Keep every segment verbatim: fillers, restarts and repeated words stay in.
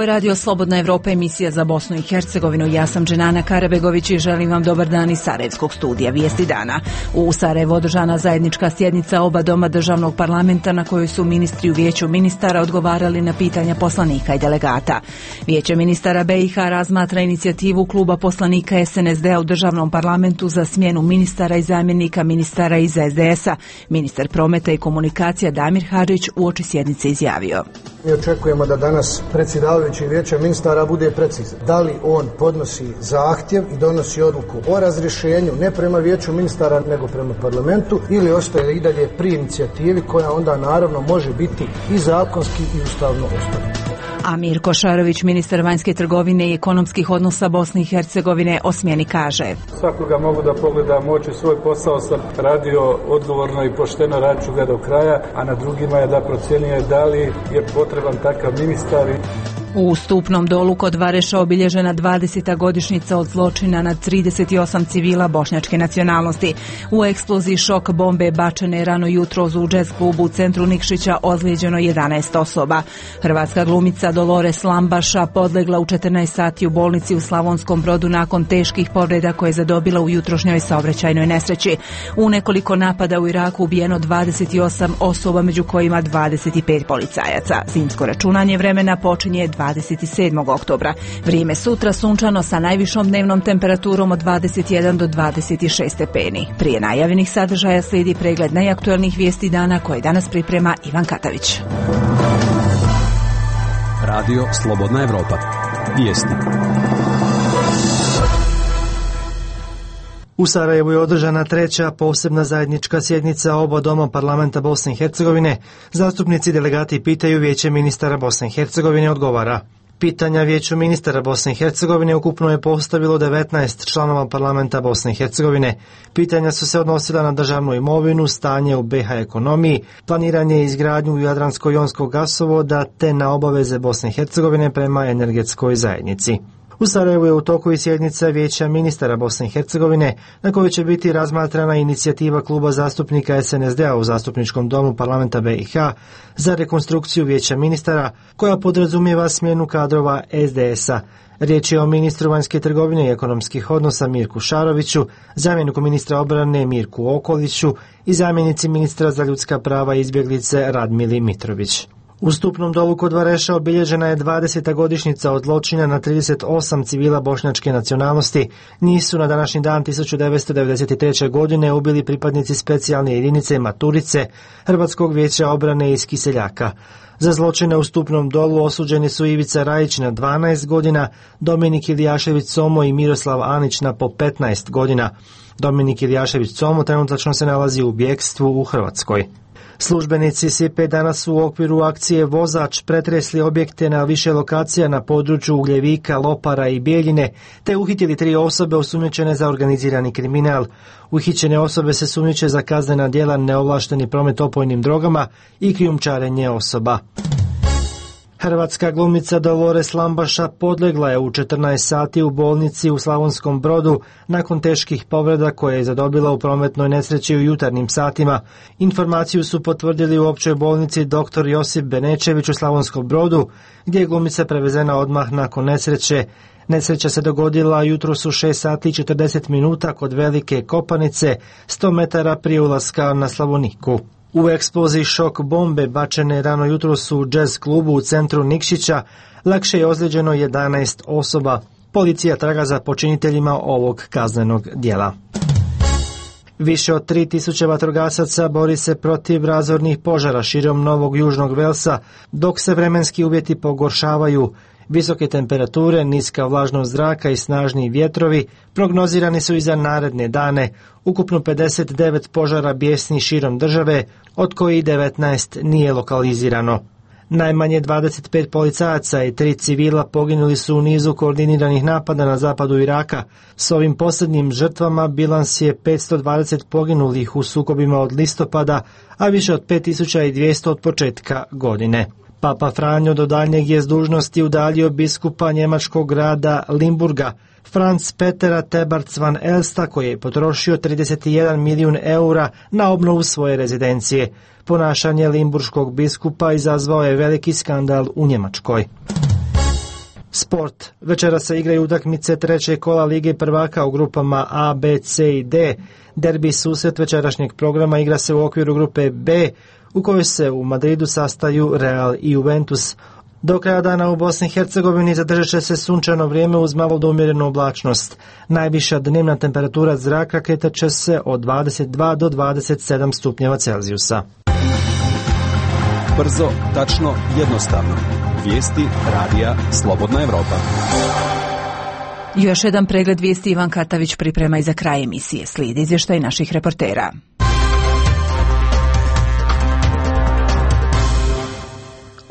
Ovo je Radio Slobodna Evropa, emisija za Bosnu i Hercegovinu. Ja sam Dženana Karabegović i želim vam dobar dan iz Sarajevskog studija Vijesti dana. U Sarajevu održana zajednička sjednica oba doma državnog parlamenta na kojoj su ministri u Vijeću ministara odgovarali na pitanja poslanika i delegata. Vijeće ministara B i H razmatra inicijativu kluba poslanika S N S D-a u državnom parlamentu za smjenu ministara i zamjenika ministara iz S D S-a. Ministar prometa i komunikacija Damir Hadžić uoči sjednice izjavio: Mi očekujemo da danas predsjedavajući Vijeća ministara bude precizan. Da li on podnosi zahtjev i donosi odluku o razrješenju ne prema Vijeću ministara nego prema parlamentu, ili ostaje i dalje pri inicijativi koja onda naravno može biti i zakonski i ustavno osnovana. A Mirko Šarović, ministar vanjske trgovine i ekonomskih odnosa Bosne i Hercegovine, o smjeni kaže: Svakoga mogu da pogledam u oči, svoj posao sam radio odgovorno i pošteno, radit ću ga do kraja, a na drugima je da procjenjuje da li je potreban takav ministar. U Stupnom Dolu kod Vareša obilježena dvadeseta godišnjica od zločina nad trideset osam civila bošnjačke nacionalnosti. U eksploziji šok bombe bačene rano jutros u džez klubu u centru Nikšića ozlijeđeno jedanaest osoba. Hrvatska glumica Dolores Lambaša podlegla u četrnaest sati u bolnici u Slavonskom Brodu nakon teških povreda koje je zadobila u jutrošnjoj saobraćajnoj nesreći. U nekoliko napada u Iraku ubijeno dvadeset osam osoba, među kojima dvadeset pet policajaca. Zimsko računanje vremena počinje dvadeset sedmog oktobra. Vrijeme sutra sunčano sa najvišom dnevnom temperaturom od dvadeset jedan do dvadeset šest stepeni. Prije najavljenih sadržaja slijedi pregled najaktuelnijih vijesti dana koje danas priprema Ivan Katavić. Radio Slobodna Evropa. Vijesti. U Sarajevu je održana treća posebna zajednička sjednica oba doma parlamenta Bosne i Hercegovine. Zastupnici i delegati pitaju, Vijeće ministara Bosne i Hercegovine odgovara. Pitanja Vijeću ministara Bosne i Hercegovine ukupno je postavilo devetnaest članova parlamenta Bosne i Hercegovine. Pitanja su se odnosila na državnu imovinu, stanje u B iH ekonomiji, planiranje i izgradnju Jadransko-jonskog gasovoda te na obaveze Bosne i Hercegovine prema energetskoj zajednici. U Sarajevu je u toku i sjednica Vijeća ministara Bosne i Hercegovine na kojoj će biti razmatrana inicijativa kluba zastupnika S N S D-a u zastupničkom domu parlamenta B iH za rekonstrukciju Vijeća ministara koja podrazumijeva smjenu kadrova S D S-a. Riječ je o ministru vanjske trgovine i ekonomskih odnosa Mirku Šaroviću, zamjeniku ministra obrane Mirku Okoliću i zamjenici ministra za ljudska prava i izbjeglice Radmili Mitrović. U Stupnom Dolu kod Vareša obilježena je dvadeseta godišnjica od zločina na trideset osam civila bošnjačke nacionalnosti. Njih su na današnji dan tisuću devetsto devedeset treće. godine ubili pripadnici specijalne jedinice Maturice, Hrvatskog vijeća obrane iz Kiseljaka. Za zločine u Stupnom Dolu osuđeni su Ivica Rajić na dvanaest godina, Dominik Ilijašević Somo i Miroslav Anić na po petnaest godina. Dominik Ilijašević Somo trenutačno se nalazi u bjekstvu u Hrvatskoj. Službenici S I P-a danas su u okviru akcije Vozač pretresli objekte na više lokacija na području Ugljevika, Lopara i Bijeljine, te uhitili tri osobe osumnjičene za organizirani kriminal. Uhićene osobe se sumnjiče za kaznena djela neovlašteni promet opojnim drogama i krijumčarenje osoba. Hrvatska glumica Dolores Lambaša podlegla je u četrnaest sati u bolnici u Slavonskom Brodu nakon teških povreda koje je zadobila u prometnoj nesreći u jutarnjim satima. Informaciju su potvrdili u općoj bolnici dr. Josip Benečević u Slavonskom Brodu, gdje je glumica prevezena odmah nakon nesreće. Nesreća se dogodila jutros u šest sati i četrdeset minuta kod Velike Kopanice, sto metara prije ulaska na Slavoniku. U eksploziji šok bombe bačene rano jutros u džez klubu u centru Nikšića lakše je ozlijeđeno jedanaest osoba. Policija traga za počiniteljima ovog kaznenog djela. Više od tri tisuće vatrogasaca bori se protiv razornih požara širom Novog Južnog Velsa, dok se vremenski uvjeti pogoršavaju. Visoke temperature, niska vlažnost zraka i snažni vjetrovi prognozirani su i za naredne dane. Ukupno pedeset devet požara bijesni širom države, od kojih devetnaest nije lokalizirano. Najmanje dvadeset pet policajaca i tri civila poginuli su u nizu koordiniranih napada na zapadu Iraka. S ovim posljednjim žrtvama bilans je petsto dvadeset poginulih u sukobima od listopada, a više od pet tisuća dvjesto od početka godine. Papa Franjo do daljnjeg je s dužnosti udaljio biskupa njemačkog grada Limburga, Franz Petera Tebarts van Elsta, koji je potrošio trideset jedan milijun eura na obnovu svoje rezidencije. Ponašanje limburškog biskupa izazvao je veliki skandal u Njemačkoj. Sport. Večera se igraju utakmice trećeg kola Lige prvaka u grupama A, B, C i D. Derbi susret večerašnjeg programa igra se u okviru grupe B, u kojoj se u Madridu sastaju Real i Juventus. Do kraja dana u Bosni i Hercegovini zadržat će se sunčano vrijeme uz malo do umjerenu oblačnost. Najviša dnevna temperatura zraka kretat će se od dvadeset dva do dvadeset sedam stupnjeva Celzijusa. Brzo, tačno, jednostavno. Vijesti radija Slobodna Evropa. Još jedan pregled vijesti Ivan Katavić priprema i za kraj emisije. Slijedi izvještaj naših reportera.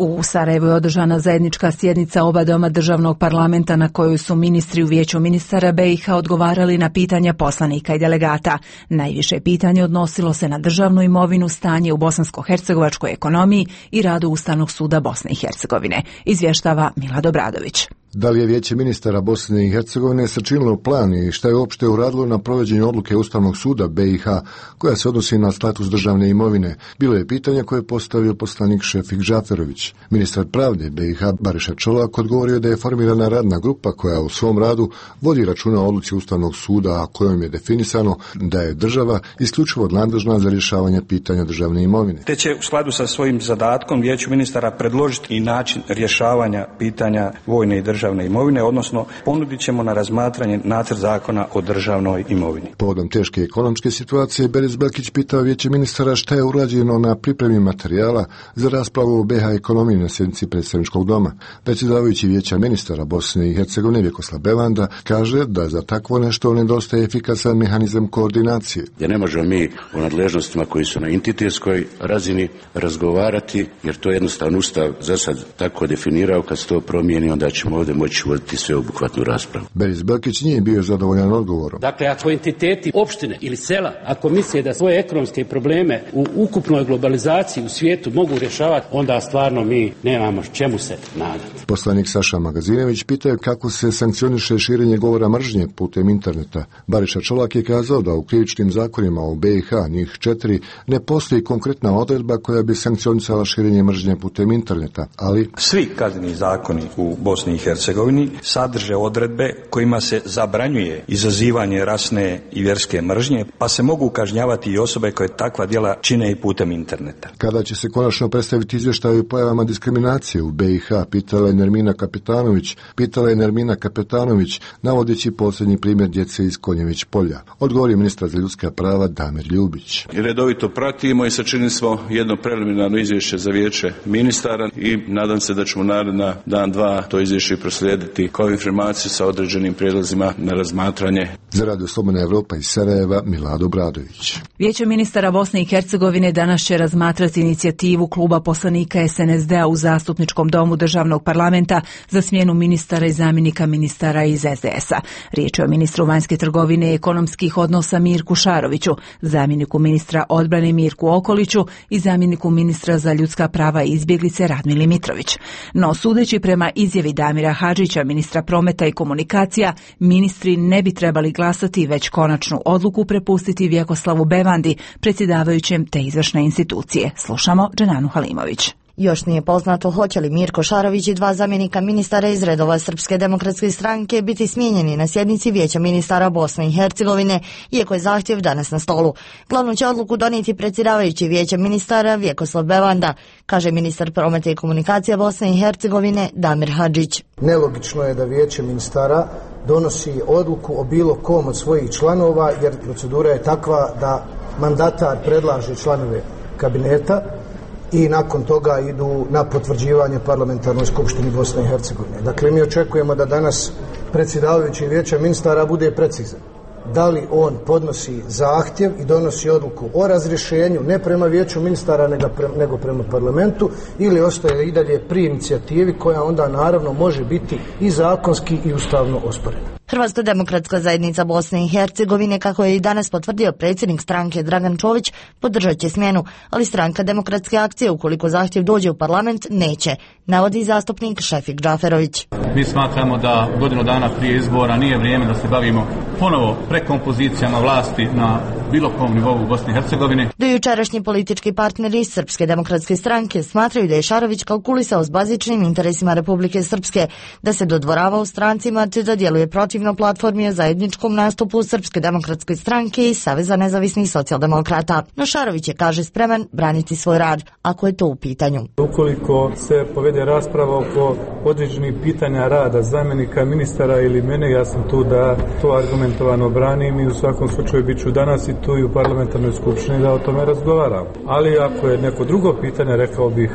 U Sarajevu je održana zajednička sjednica oba doma državnog parlamenta na kojoj su ministri u Vijeću ministara B i H odgovarali na pitanja poslanika i delegata. Najviše pitanje odnosilo se na državnu imovinu, stanje u bosansko-hercegovačkoj ekonomiji i radu Ustavnog suda Bosne i Hercegovine. Izvještava Milad Obradović. Da li je Vijeće ministara Bosne i Hercegovine sačinilo plan i šta je uopšte uradilo na provođenju odluke Ustavnog suda B i H koja se odnosi na status državne imovine? Bilo je pitanje koje je postavio poslanik Šefik Džaferović. Ministar pravde B i H Bariša Čolak odgovorio da je formirana radna grupa koja u svom radu vodi računa o odluci Ustavnog suda, a kojom je definisano da je država isključivo nadležna za rješavanje pitanja državne imovine. Te će u skladu sa svojim zadatkom Vijeću ministara predložiti i način rješavanja pitanja vojne i državne državne imovine, odnosno ponudit ćemo na razmatranje nacrt zakona o državnoj imovini. Povodom teške ekonomske situacije, Beris Belkić pitao Vijeće ministara šta je urađeno na pripremi materijala za raspravu o B H ekonomiji na sjednici predstavničkog doma. Predsjedavajući Vijeća ministara Bosne i Hercegovine Vjekoslav Bevanda kaže da za takvo nešto nedostaje efikasan mehanizam koordinacije. Jer ne možemo mi o nadležnostima koji su na entitetskoj razini razgovarati, jer to je jednostavno Ustav za sad tako definirao, kad se to promijeni onda ćemo ovdje moći voditi sveobuhvatnu raspravu. Beris Belkić nije bio zadovoljan odgovorom. Dakle, ako entiteti opštine ili sela, ako misle da svoje ekonomske probleme u ukupnoj globalizaciji u svijetu mogu rješavati, onda stvarno mi nemamo čemu se nadati. Poslanik Saša Magazinević pitao kako se sankcioniše širenje govora mržnje putem interneta. Bariša Čolak je kazao da u krivičnim zakonima u B i H, njih četiri, ne postoji konkretna odredba koja bi sankcionisala širenje mržnje putem interneta, ali svi kazneni zakoni u Bosni i Hercegovini sadrže odredbe kojima se zabranjuje izazivanje rasne i vjerske mržnje, pa se mogu kažnjavati i osobe koje takva djela čine i putem interneta. Kada će se konačno predstaviti izvještaj o pojavama diskriminacije u B i H, pitala je Nermina Kapetanović, pitala je Nermina Kapetanović, navodeći posljednji primjer djece iz Konjević polja. Odgovori ministar za ljudska prava Damir Ljubić. Redovito pratimo i sačinili smo jedno preliminarno izvješće za Vijeće ministara i nadam se da ćemo naredna dan dva to izvješće proslijediti kao informaciju sa određenim prijedlozima na razmatranje. Za Radio Slobodna Evropa iz Sarajeva, Milad Obradović. Vijeće ministara Bosne i Hercegovine danas će razmatrati inicijativu kluba poslanika S N S D-a u zastupničkom domu državnog parlamenta za smjenu ministara i zamjenika ministara iz S D S-a. Riječ je o ministru vanjske trgovine i ekonomskih odnosa Mirku Šaroviću, zamjeniku ministra odbrane Mirku Okoliću i zamjeniku ministra za ljudska prava i izbjeglice Radmili Mitrović. No, sudeći prema izjavi Damira Hadžića, ministra prometa i komunikacija, ministri ne bi trebali glasati, već konačnu odluku prepustiti Vjekoslavu Bevandi, predsjedavajućem te izvršne institucije. Slušamo Dženanu Halimović. Još nije poznato hoće li Mirko Šarović i dva zamjenika ministara iz redova Srpske demokratske stranke biti smijenjeni na sjednici Vijeća ministara Bosne i Hercegovine, iako je zahtjev danas na stolu. Glavnu će odluku donijeti predsjedavajući Vijeća ministara Vjekoslav Bevanda, kaže ministar prometa i komunikacija Bosne i Hercegovine Damir Hadžić. Nelogično je da Vijeće ministara donosi odluku o bilo kom od svojih članova, jer procedura je takva da mandatar predlaže članove kabineta i nakon toga idu na potvrđivanje parlamentarnoj skupštini Bosne i Hercegovine. Dakle, mi očekujemo da danas predsjedavajući Vijeća ministara bude precizan. Da li on podnosi zahtjev i donosi odluku o razrješenju ne prema Vijeću ministara nego prema parlamentu, ili ostaje i dalje pri inicijativi koja onda naravno može biti i zakonski i ustavno osporena. Hrvatska demokratska zajednica Bosne i Hercegovine, kako je i danas potvrdio predsjednik stranke Dragan Čović, podržat će smjenu, ali stranka Demokratske akcije, ukoliko zahtjev dođe u parlament, neće, navodi zastupnik Šefik Džaferović. Mi smatramo da godinu dana prije izbora nije vrijeme da se bavimo ponovo prekompozicijama vlasti na bilo kom nivou u Bosni i Hercegovini. Do jučerašnji politički partneri Srpske demokratske stranke smatraju da je Šarović kalkulisao s bazičnim interesima Republike Srpske, da se dodvoravao strancima te da djeluje protivno platformi o zajedničkom nastupu Srpske demokratske stranke i Saveza nezavisnih socijaldemokrata. No Šarović je, kaže, spreman braniti svoj rad, ako je to u pitanju. Ukoliko se povede rasprava oko određenih pitanja rada zamjenika ministara ili mene, ja sam tu da to argumentovano branim i u svakom slučaju bit ću danas i tu i u parlamentarnoj skupštini da o tome razgovaram. Ali ako je neko drugo pitanje, rekao bih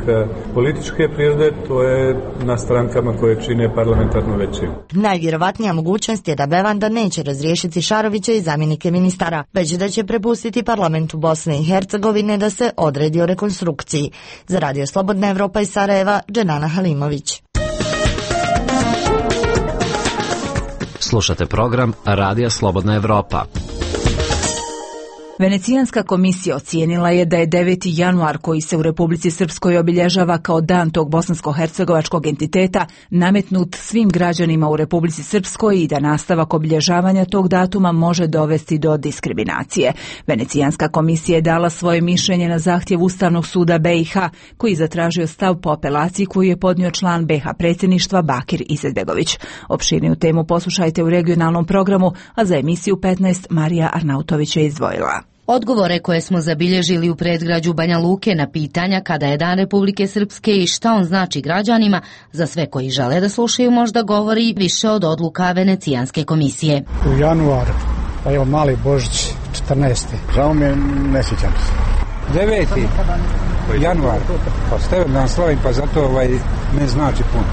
političke prirode, to je na strankama koje čine parlamentarnu većinu. Najvjerovatnija mogućnost je da Bevanda neće razriješiti Šarovića i zamjenike ministara, već da će prepustiti parlamentu Bosne i Hercegovine da se odredi o rekonstrukciji. Za Radio Slobodna Evropa iz Sarajeva, Dženana Halimović. Slušate program Radija Slobodna Evropa. Venecijanska komisija ocijenila je da je deveti januar, koji se u Republici Srpskoj obilježava kao dan tog bosansko-hercegovačkog entiteta, nametnut svim građanima u Republici Srpskoj i da nastavak obilježavanja tog datuma može dovesti do diskriminacije. Venecijanska komisija je dala svoje mišljenje na zahtjev Ustavnog suda B i H, koji je zatražio stav po apelaciji koju je podnio član B i H predsjedništva Bakir Izetbegović. Opširniju temu poslušajte u regionalnom programu, a za emisiju petnaest Marija Arnautović je izdvojila. Odgovore koje smo zabilježili u predgrađu Banja Luke na pitanja kada je Dan Republike Srpske i šta on znači građanima, za sve koji žele da slušaju možda govori više od odluka Venecijanske komisije. U januar, pa evo mali Božić, četrnaesti. Žao mi je, ne sjećam se. deveti januar, pa stavim dan slavim, pa zato ovaj ne znači puno.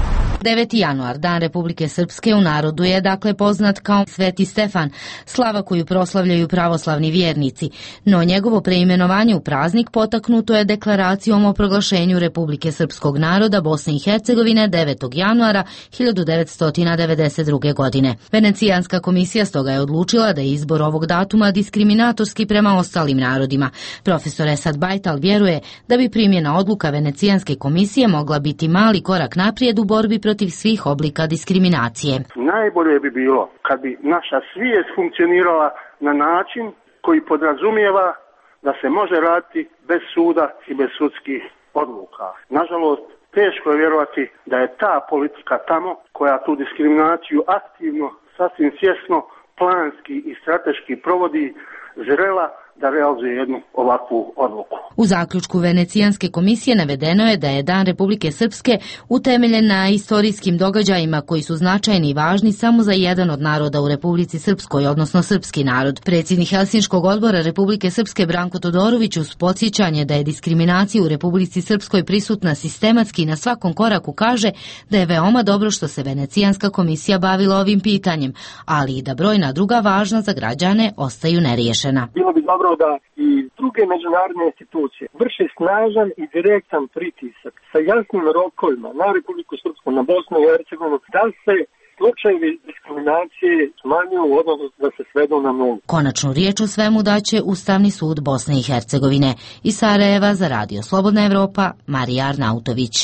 deveti januar, Dan Republike Srpske, u narodu je dakle poznat kao Sveti Stefan, slava koju proslavljaju pravoslavni vjernici, no njegovo preimenovanje u praznik potaknuto je deklaracijom o proglašenju Republike Srpskog naroda Bosne i Hercegovine devetog januara hiljadu devetsto devedeset druge. godine. Venecijanska komisija stoga je odlučila da je izbor ovog datuma diskriminatorski prema ostalim narodima. Profesor Esad Bajtal vjeruje da bi primjena odluka Venecijanske komisije mogla biti mali korak naprijed u borbi protiv svih oblika diskriminacije. Najbolje bi bilo kad bi naša svijest funkcionirala na način koji podrazumijeva da se može raditi bez suda i bez sudskih odluka. Nažalost, teško je vjerovati da je ta politika tamo koja tu diskriminaciju aktivno, sasvim svjesno, planski i strateški provodi, zrela da realizuje jednu ovakvu odluku. U zaključku Venecijanske komisije navedeno je da je Dan Republike Srpske utemeljen na istorijskim događajima koji su značajni i važni samo za jedan od naroda u Republici Srpskoj, odnosno srpski narod. Predsjednik Helsinškog odbora Republike Srpske Branko Todorović uz podsjećanje da je diskriminacija u Republici Srpskoj prisutna sistematski na svakom koraku kaže da je veoma dobro što se Venecijanska komisija bavila ovim pitanjem, ali i da brojna druga važna za građane ostaju neriješena. Bilo bi dobro da i druge međunarodne institucije vrše snažan i direktan pritisak sa jasnim rokovima na Republiku Srpsku, na Bosnu i Hercegovinu, da se slučajevi diskriminacije smanjuju, odnosno da se svedu na nulu. Konačnu riječ o svemu daće Ustavni sud Bosne i Hercegovine. Iz Sarajeva za Radio Slobodna Evropa, Marija Arnautović.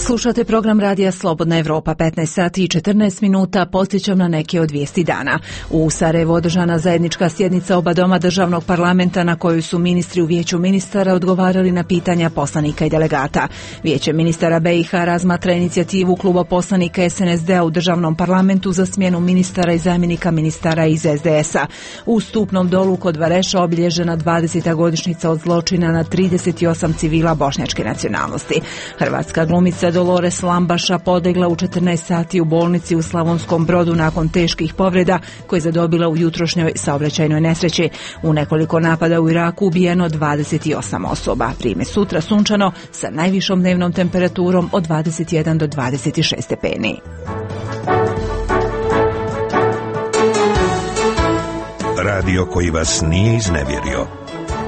Slušate program Radija Slobodna Evropa, petnaest sati i četrnaest minuta, podsjećam na neke od vijesti dana. U Sarajevu održana zajednička sjednica oba doma državnog parlamenta na kojoj su ministri u Vijeću ministara odgovarali na pitanja poslanika i delegata. Vijeće ministara B i H razmatra inicijativu kluba poslanika S N S D-a u državnom parlamentu za smjenu ministara i zamjenika ministara iz S D S-a. U Stupnom Dolu kod Vareša obilježena dvadeseta godišnjica od zločina na trideset osam civila bošnjačke nacionalnosti. Hrvatska glumica Dolores Lambaša podlegla u četrnaest sati u bolnici u Slavonskom Brodu nakon teških povreda koje je zadobila u jutrošnjoj saobraćajnoj nesreći. U nekoliko napada u Iraku ubijeno dvadeset osam osoba. Vrijeme sutra sunčano sa najvišom dnevnom temperaturom od dvadeset jedan do dvadeset šest stepeni. Radio koji vas nije iznevjerio.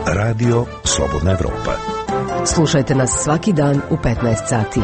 Radio Slobodna Evropa. Slušajte nas svaki dan u petnaest sati.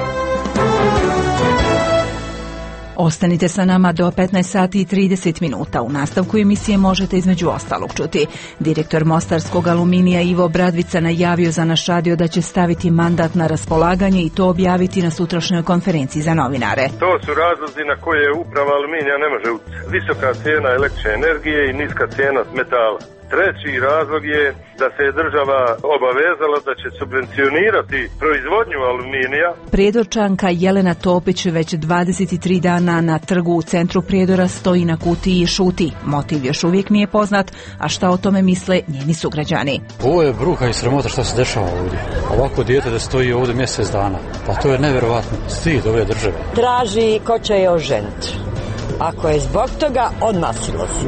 Ostanite sa nama do petnaest sati i trideset minuta. U nastavku emisije možete između ostalog čuti. Direktor Mostarskog aluminija Ivo Bradvica najavio za naš radio da će staviti mandat na raspolaganje i to objaviti na sutrašnjoj konferenciji za novinare. To su razlozi na koje uprava aluminija ne može utjecati. Visoka cijena električne energije i niska cijena metala. Treći razlog je da se je država obavezala da će subvencionirati proizvodnju aluminija. Prijedorčanka Jelena Topić već dvadeset tri dana na trgu u centru Prijedora stoji na kutiji i šuti. Motiv još uvijek nije poznat, a šta o tome misle njeni sugrađani. Ovo je bruka i sramota što se dešava ovdje. Ovako dijete da stoji ovdje mjesec dana. Pa to je nevjerovatno. Stid ove države. Traži ko će je oženiti. Ako je zbog toga, odmah silosti.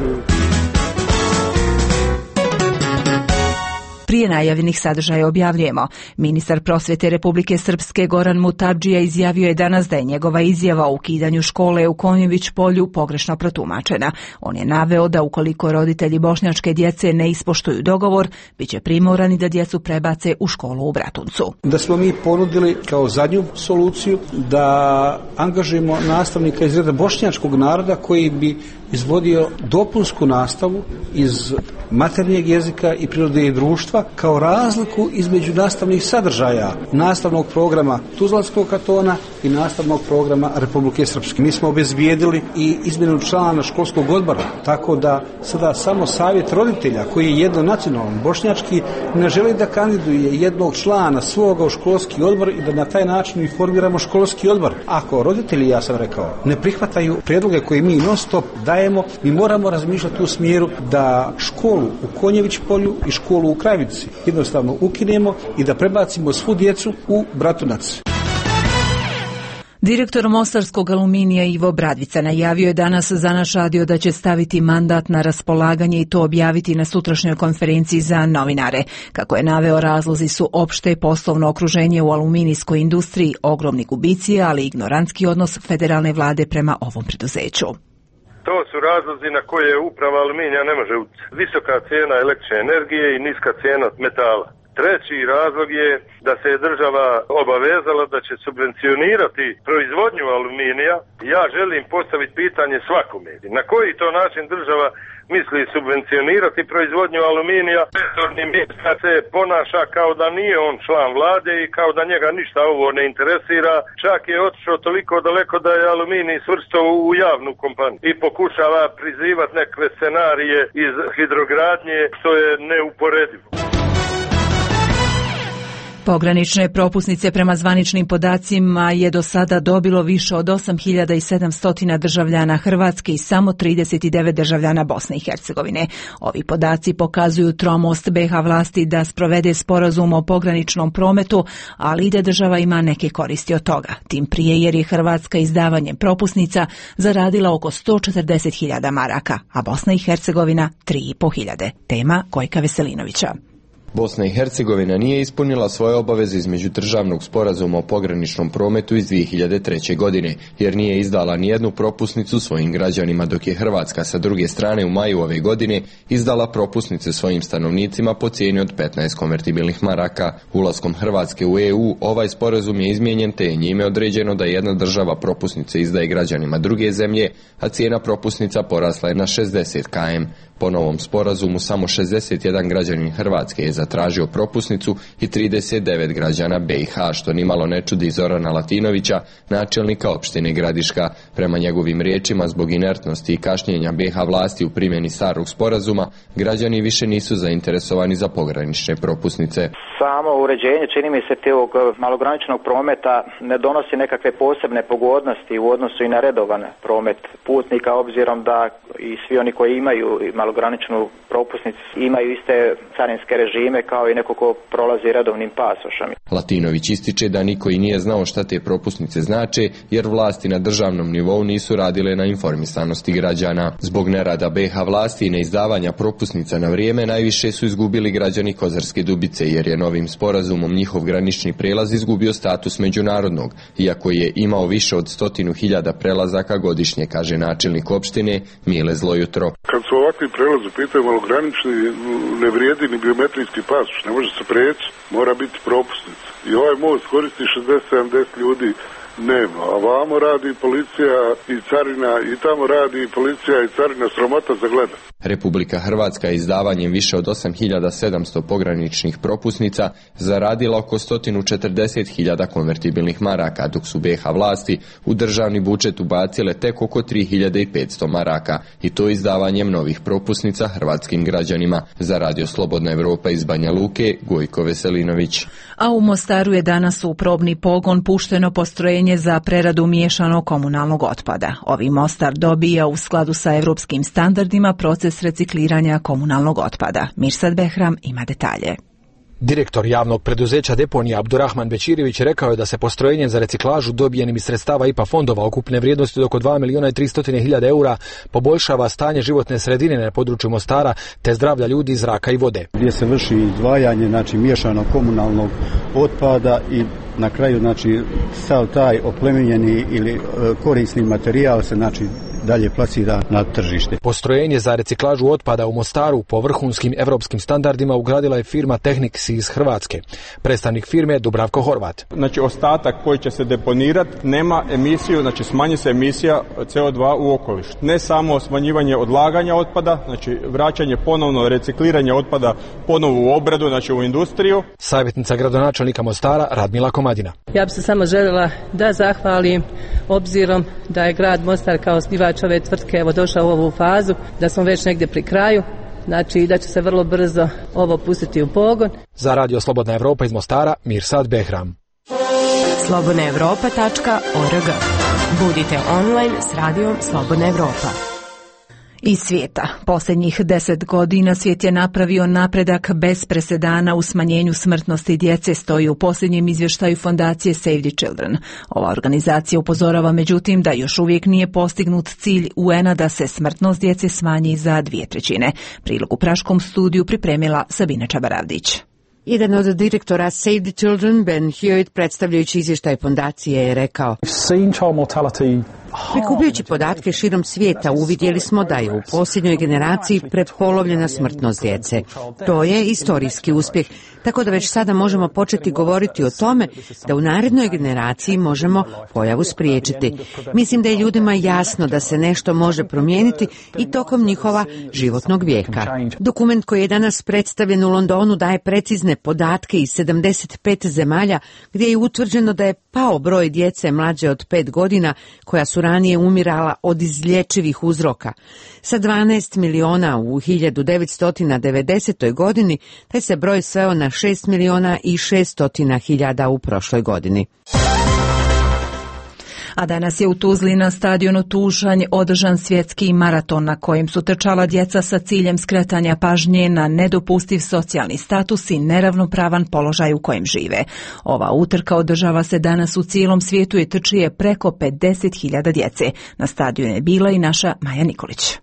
Prije najavljenih sadržaja objavljujemo. Ministar prosvjete Republike Srpske Goran Mutadžija izjavio je danas da je njegova izjava o ukidanju škole u Konjević polju pogrešno protumačena. On je naveo da ukoliko roditelji bošnjačke djece ne ispoštuju dogovor, bit će primorani da djecu prebace u školu u Bratuncu. Da smo mi ponudili kao zadnju soluciju da angažujemo nastavnika iz reda bošnjačkog naroda koji bi izvodio dopunsku nastavu iz maternjeg jezika i prirode i društva kao razliku između nastavnih sadržaja nastavnog programa Tuzlanskog kantona i nastavnog programa Republike Srpske. Mi smo obezbijedili i izmjenu člana školskog odbora, tako da sada samo savjet roditelja koji je jednonacionalan bošnjački ne želi da kandiduje jednog člana svoga u školski odbor i da na taj način informiramo školski odbor. Ako roditelji, ja sam rekao, ne prihvataju prijedloge koje mi non stop dajemo, mi moramo razmišljati u smjeru da školu u Konjević polju i školu u Kravici jednostavno ukinemo i da prebacimo svu djecu u Bratunac. Direktor Mostarskog aluminija Ivo Bradvica najavio je danas za naš radio da će staviti mandat na raspolaganje i to objaviti na sutrašnjoj konferenciji za novinare. Kako je naveo, razlozi su opšte poslovno okruženje u aluminijskoj industriji, ogromni gubici, ali i ignorantski odnos federalne vlade prema ovom preduzeću. To su razlozi na koje uprava aluminija ne može utjecati. Visoka cijena električne energije i niska cijena metala. Treći razlog je da se je država obavezala da će subvencionirati proizvodnju aluminija. Ja želim postaviti pitanje svakome. Na koji to način država misli subvencionirati proizvodnju aluminija? Resorni ministar se ponaša kao da nije on član vlade i kao da njega ništa ovo ne interesira. Čak je otišao toliko daleko da je aluminij svrstao u javnu kompaniju i pokušava prizivati neke scenarije iz hidrogradnje, što je neuporedivo. Pogranične propusnice prema zvaničnim podacima je do sada dobilo više od osam hiljada sedamsto državljana Hrvatske i samo trideset devet državljana Bosne i Hercegovine. Ovi podaci pokazuju tromost B iH vlasti da sprovede sporazum o pograničnom prometu, ali i da država ima neke koristi od toga. Tim prije jer je Hrvatska izdavanjem propusnica zaradila oko sto četrdeset hiljada maraka, a Bosna i Hercegovina tri i po hiljade. Tema Gojka Veselinovića. Bosna i Hercegovina nije ispunila svoje obaveze iz međudržavnog sporazuma o pograničnom prometu iz dvije hiljade treće. godine, jer nije izdala nijednu propusnicu svojim građanima, dok je Hrvatska sa druge strane u maju ove godine izdala propusnice svojim stanovnicima po cijeni od petnaest konvertibilnih maraka. Ulaskom Hrvatske u E U ovaj sporazum je izmijenjen te je njime određeno da jedna država propusnice izdaje građanima druge zemlje, a cijena propusnica porasla je na šezdeset kilometara. Po novom sporazumu samo šezdeset jedan građanin Hrvatske je zatražio propusnicu i trideset devet građana B iH, što nimalo ne čudi Zorana Latinovića, načelnika opštine Gradiška. Prema njegovim riječima, zbog inertnosti i kašnjenja B iH vlasti u primjeni starog sporazuma, građani više nisu zainteresovani za pogranične propusnice. Samo uređenje, čini mi se, tog malograničnog prometa ne donosi nekakve posebne pogodnosti u odnosu i na redovan promet putnika, obzirom da i svi oni koji imaju malograničnu propusnicu imaju iste carinske režime kao i neko ko prolazi redovnim pasošem. Latinović ističe da niko i nije znao šta te propusnice znače, jer vlasti na državnom nivou nisu radile na informisanosti građana. Zbog nerada B iH vlasti i neizdavanja propusnica na vrijeme najviše su izgubili građani Kozarske Dubice, jer je novim sporazumom njihov granični prijelaz izgubio status međunarodnog, iako je imao više od stotinu hiljada prelazaka godišnje, kaže načelnik opštine Mile Zlojutro. Kad su ovakvi prelaz u pitanju malogranični, ne vrijedi ni biometrijski pasoš, ne može se preći, mora biti propusnica. I ovaj most koristi šezdeset sedamdeset ljudi nema. A vamo radi policija i carina i tamo radi policija i carina, sramota za gleda. Republika Hrvatska je izdavanjem više od osam hiljada sedamsto pograničnih propusnica zaradila oko sto četrdeset hiljada konvertibilnih maraka, dok su B iH vlasti u državni budžet ubacile tek oko tri hiljade petsto maraka, i to izdavanjem novih propusnica hrvatskim građanima. Za Radio Slobodna Evropa iz Banja Luke, Gojko Veselinović. A u Mostaru je danas u probni pogon pušteno postrojenje za preradu miješanog komunalnog otpada. Ovi Mostar dobija u skladu sa evropskim standardima proces recikliranja komunalnog otpada. Mirsad Behram ima detalje. Direktor javnog preduzeća deponija Abdurrahman Bećirević rekao je da se postrojenjem za reciklažu dobijenim iz sredstava I P A fondova ukupne vrijednosti od oko dva milijuna i tristo hiljada eura poboljšava stanje životne sredine na području Mostara te zdravlja ljudi, zraka i vode. Gdje se vrši izdvajanje, znači miješanog komunalnog otpada i na kraju znači sav taj oplemenjeni ili korisni materijal se znači dalje plasira na tržište. Postrojenje za reciklažu otpada u Mostaru po vrhunskim evropskim standardima ugradila je firma Technics iz Hrvatske. Predstavnik firme je Dubravko Horvat. Znači ostatak koji će se deponirati nema emisiju, znači smanji se emisija C O dva u okoliš. Ne samo smanjivanje odlaganja otpada, znači vraćanje ponovno, recikliranje otpada ponovo u obradu, znači u industriju. Savjetnica gradonačelnika Mostara Radmila Komadina. Ja bih se samo željela da zahvalim obzirom da je grad Mostar kao osnivač ove tvrtke evo došao u ovu fazu, da smo već negdje pri kraju, znači da će se vrlo brzo ovo pustiti u pogon. Za Radio Slobodna Evropa iz Mostara, Mirsad Behram. slobodna evropa tačka org. Budite online s Radijom Slobodna Evropa. Iz svijeta. Posljednjih deset godina svijet je napravio napredak bez presedana u smanjenju smrtnosti djece, stoji u posljednjem izvještaju fondacije Save the Children. Ova organizacija upozorava međutim da još uvijek nije postignut cilj U N-a da se smrtnost djece smanji za dvije trećine. Prilog u praškom studiju pripremila Sabina Čabaravdić. Jedan od direktora Save the Children, Ben Hewitt, predstavljajući izvještaj fondacije, je rekao: prikupljajući podatke širom svijeta, uvidjeli smo da je u posljednjoj generaciji prepolovljena smrtnost djece. To je istorijski uspjeh, tako da već sada možemo početi govoriti o tome da u narednoj generaciji možemo pojavu spriječiti. Mislim da je ljudima jasno da se nešto može promijeniti i tokom njihova životnog vijeka. Dokument koji je danas predstavljen u Londonu daje precizne podatke iz sedamdeset pet zemalja gdje je utvrđeno da je pao broj djece mlađe od pet godina koja su ranije umirala od izlječivih uzroka. Sa dvanaest miliona u hiljadu devetsto devedesetoj godini, taj se broj sveo na šest miliona i šesto hiljada u prošloj godini. A danas je u Tuzli na stadionu Tušanj održan svjetski maraton na kojem su trčala djeca sa ciljem skretanja pažnje na nedopustiv socijalni status i neravnopravan položaj u kojem žive. Ova utrka održava se danas u cijelom svijetu i trči je preko pedeset hiljada djece. Na stadionu je bila i naša Maja Nikolić.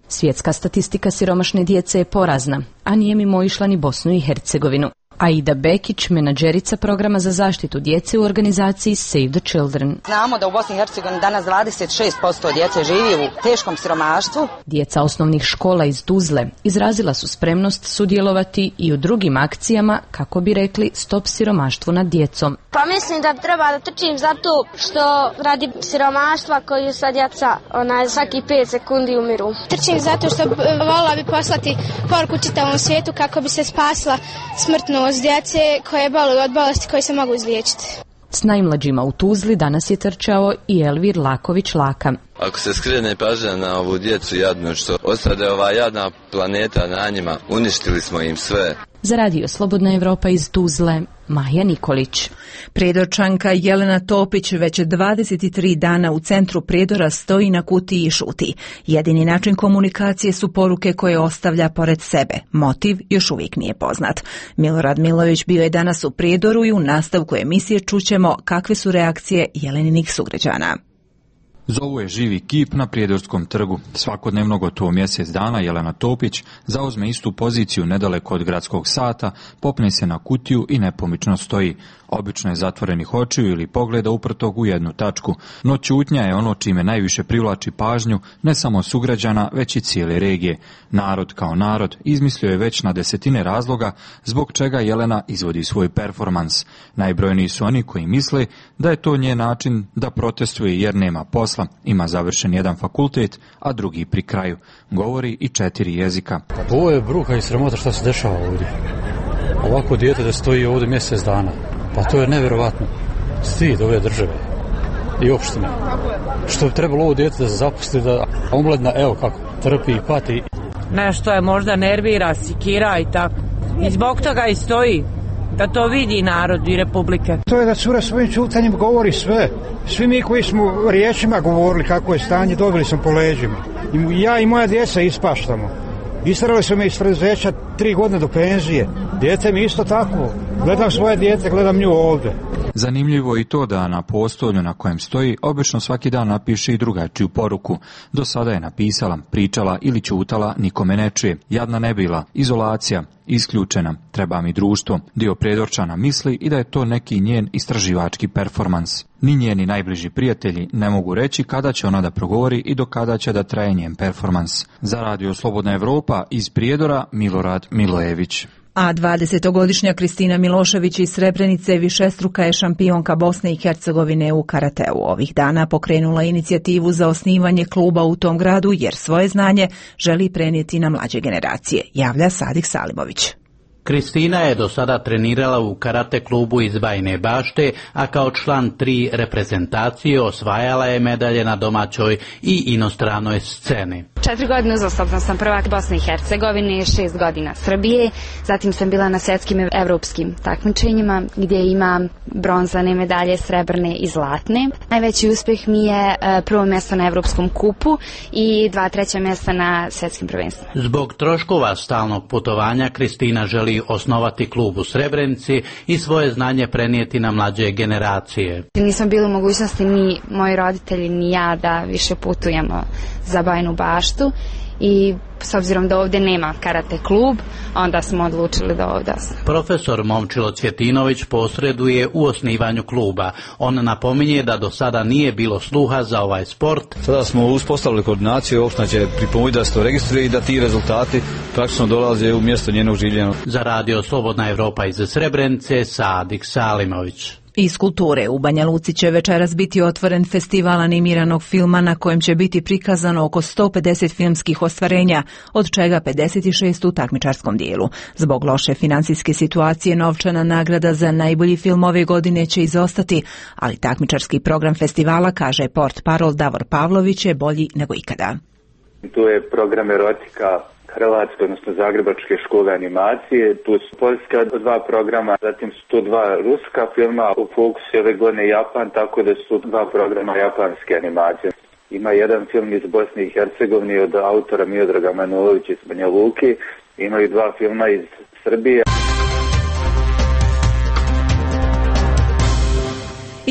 Svjetska statistika siromašne djece je porazna, a nije mimo išla ni Bosnu i Hercegovinu. Aida Bekić, menadžerica programa za zaštitu djece u organizaciji Save the Children. Znamo da u Bosni i Hercegovini danas dvadeset šest posto djece živi u teškom siromaštvu. Djeca osnovnih škola iz Tuzle izrazila su spremnost sudjelovati i u drugim akcijama kako bi rekli stop siromaštvu nad djecom. Pa mislim da treba da trčim zato što radi siromaštva koju sa djeca onaj, svaki pet sekundi umiru. Trčim zato što volila bi poslati poruku čitavom svijetu kako bi se spasila smrtnost djece koje boluju od bolesti koje se mogu izliječiti. S najmlađima u Tuzli danas je trčao i Elvir Laković-Laka. Ako se skrene pažnja na ovu djecu jadnu što ostade ova jadna planeta na njima, uništili smo im sve. Za Radio Slobodna Evropa iz Tuzle, Maja Nikolić. Prijedorčanka Jelena Topić već dvadeset tri dana u centru Prijedora stoji na kutiji i šuti. Jedini način komunikacije su poruke koje ostavlja pored sebe. Motiv još uvijek nije poznat. Milorad Milović bio je danas u Prijedoru i u nastavku emisije čućemo kakve su reakcije Jeleninih sugrađana. Zovu je živi kip na Prijedorskom trgu. Svakodnevno gotovo mjesec dana Jelena Topić zauzme istu poziciju nedaleko od gradskog sata, popne se na kutiju i nepomično stoji. Obično je zatvorenih očiju ili pogleda uprtog u jednu tačku, no ćutnja je ono čime najviše privlači pažnju ne samo sugrađana, već i cijele regije. Narod kao narod izmislio je već na desetine razloga zbog čega Jelena izvodi svoj performans. Najbrojniji su oni koji misle da je to njen način da protestuje jer nema posla, ima završen jedan fakultet, a drugi pri kraju. Govori i četiri jezika. Ovo je bruka i sramota što se dešava ovdje. Ovako dijete da stoji ovdje mjesec dana. Pa to je nevjerovatno. Stid ove države i opštine. Što bi trebalo ovo dijete da se zapusti, da omladina, evo kako, trpi i pati. Nešto je možda nervira, sikira i tako. I zbog toga i stoji. Da to vidi narod i republike. To je da cura svojim ćutanjem govori sve. Svi mi koji smo riječima govorili kako je stanje, dobili smo po leđima. I ja i moja djeca ispaštamo. Istarali su me iz preduzeća tri godine do penzije. Dijete mi isto tako. Gledam svoje dijete, gledam nju ovdje. Zanimljivo je i to da na postolju na kojem stoji obično svaki dan napiše i drugačiju poruku. Do sada je napisala, pričala ili ćutala, nikome ne čuje. Jadna ne bila, izolacija, isključena, treba mi društvo. Dio Prijedorčana misli i da je to neki njen istraživački performans. Ni njeni najbliži prijatelji ne mogu reći kada će ona da progovori i do kada će da traje njen performans. Za Radio Slobodna Evropa iz Prijedora, Milorad Milojević. A dvadesetogodišnja Kristina Milošević iz Srebrenice višestruka je šampionka Bosne i Hercegovine u karateu. Ovih dana pokrenula inicijativu za osnivanje kluba u tom gradu jer svoje znanje želi prenijeti na mlađe generacije, javlja Sadik Salimović. Kristina je do sada trenirala u karate klubu iz Bajine Bašte, a kao član tri reprezentacije osvajala je medalje na domaćoj i inostranoj sceni. Četiri godine uzastopno sam prvak Bosne i Hercegovine, šest godina Srbije, zatim sam bila na svjetskim i evropskim takmičenjima gdje ima bronzane medalje, srebrne i zlatne. Najveći uspjeh mi je prvo mjesto na Evropskom kupu i dva treća mjesta na svjetskim prvenstvima. Zbog troškova stalnog putovanja Kristina želi osnovati klub u Srebrenici i svoje znanje prenijeti na mlađe generacije. Nismo bili u mogućnosti ni moji roditelji ni ja da više putujemo za Bajinu Baštu i s obzirom da ovdje nema karate klub, onda smo odlučili da ovdje osnovimo. Profesor Momčilo Cvjetinović posreduje u osnivanju kluba. On napominje da do sada nije bilo sluha za ovaj sport. Sada smo uspostavili koordinaciju, opština će pripomoći da se to registruje i da ti rezultati praktično dolaze u mjesto njenog življenja. Za Radio Slobodna Evropa iz Srebrenice, Sadik Salimović. Iz kulture u Banja Luci će večeras biti otvoren festival animiranog filma na kojem će biti prikazano oko sto pedeset filmskih ostvarenja, od čega pedeset šest u takmičarskom dijelu. Zbog loše financijske situacije novčana nagrada za najbolji film ove godine će izostati, ali takmičarski program festivala, kaže port parol Davor Pavlović, je bolji nego ikada. Tu je program erotika Hrvatske, odnosno Zagrebačke škole animacije, tu su poljska dva programa, zatim su tu dva ruska filma, u fokusu ove godine Japan, tako da su dva programa japanske animacije. Ima jedan film iz Bosne i Hercegovine od autora Miodraga Manojlovića iz Banja Luke, imaju dva filma iz Srbije.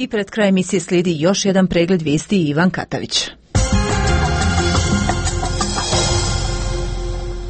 I pred kraj emisije slijedi još jedan pregled vijesti Ivan Katavić.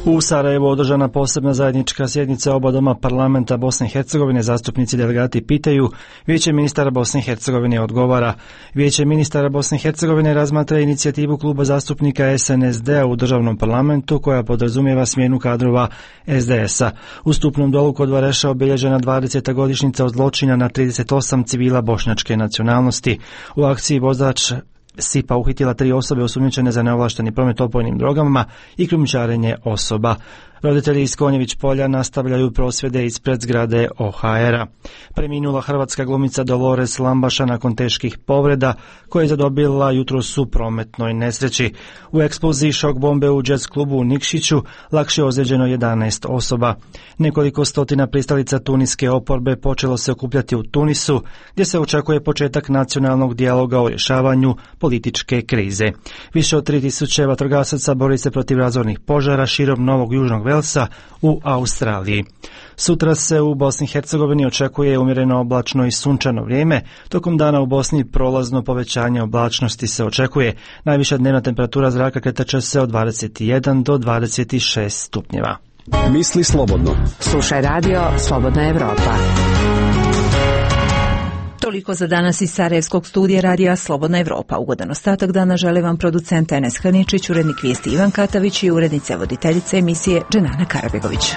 U Sarajevu održana posebna zajednička sjednica oba doma parlamenta Bosne i Hercegovine. Zastupnici delegati pitaju, Vijeće ministara Bosne i Hercegovine odgovara. Vijeće ministara Bosne i Hercegovine razmatra inicijativu kluba zastupnika S N S D-a u državnom parlamentu koja podrazumijeva smjenu kadrova S D S-a. U Stupnom dolu kod Vareša obilježena dvadeseta godišnjica od zločina na trideset osam civila bošnjačke nacionalnosti. U akciji vozač S I P-a uhitila tri osobe osumnjičene za neovlašteni promet opojnim drogama i krijumčarenje osoba. Roditelji iz Konjević polja nastavljaju prosvjede ispred zgrade O H R-a. Preminula hrvatska glumica Dolores Lambaša nakon teških povreda koje je zadobila jutros u prometnoj nesreći. U eksploziji šok bombe u jazz klubu u Nikšiću lakše ozlijeđeno jedanaest osoba. Nekoliko stotina pristalica tuniske oporbe počelo se okupljati u Tunisu, gdje se očekuje početak nacionalnog dijaloga o rješavanju političke krize. Više od tri tisuće vatrogasaca bori se protiv razornih požara širom Novog Južnog Walesa u Australiji. Sutra se u Bosni i Hercegovini očekuje umjereno oblačno i sunčano vrijeme. Tokom dana u Bosni prolazno povećanje oblačnosti se očekuje. Najviša dnevna temperatura zraka kretat će se od dvadeset jedan do dvadeset šest stupnjeva. Misli slobodno. Slušaj radio Slobodna Evropa. Toliko za danas iz Sarajevskog studija radija Slobodna Evropa. Ugodan ostatak dana žele vam producent Enes Hrničić, urednik vijesti Ivan Katavić i urednica voditeljice emisije Dženana Karabegović.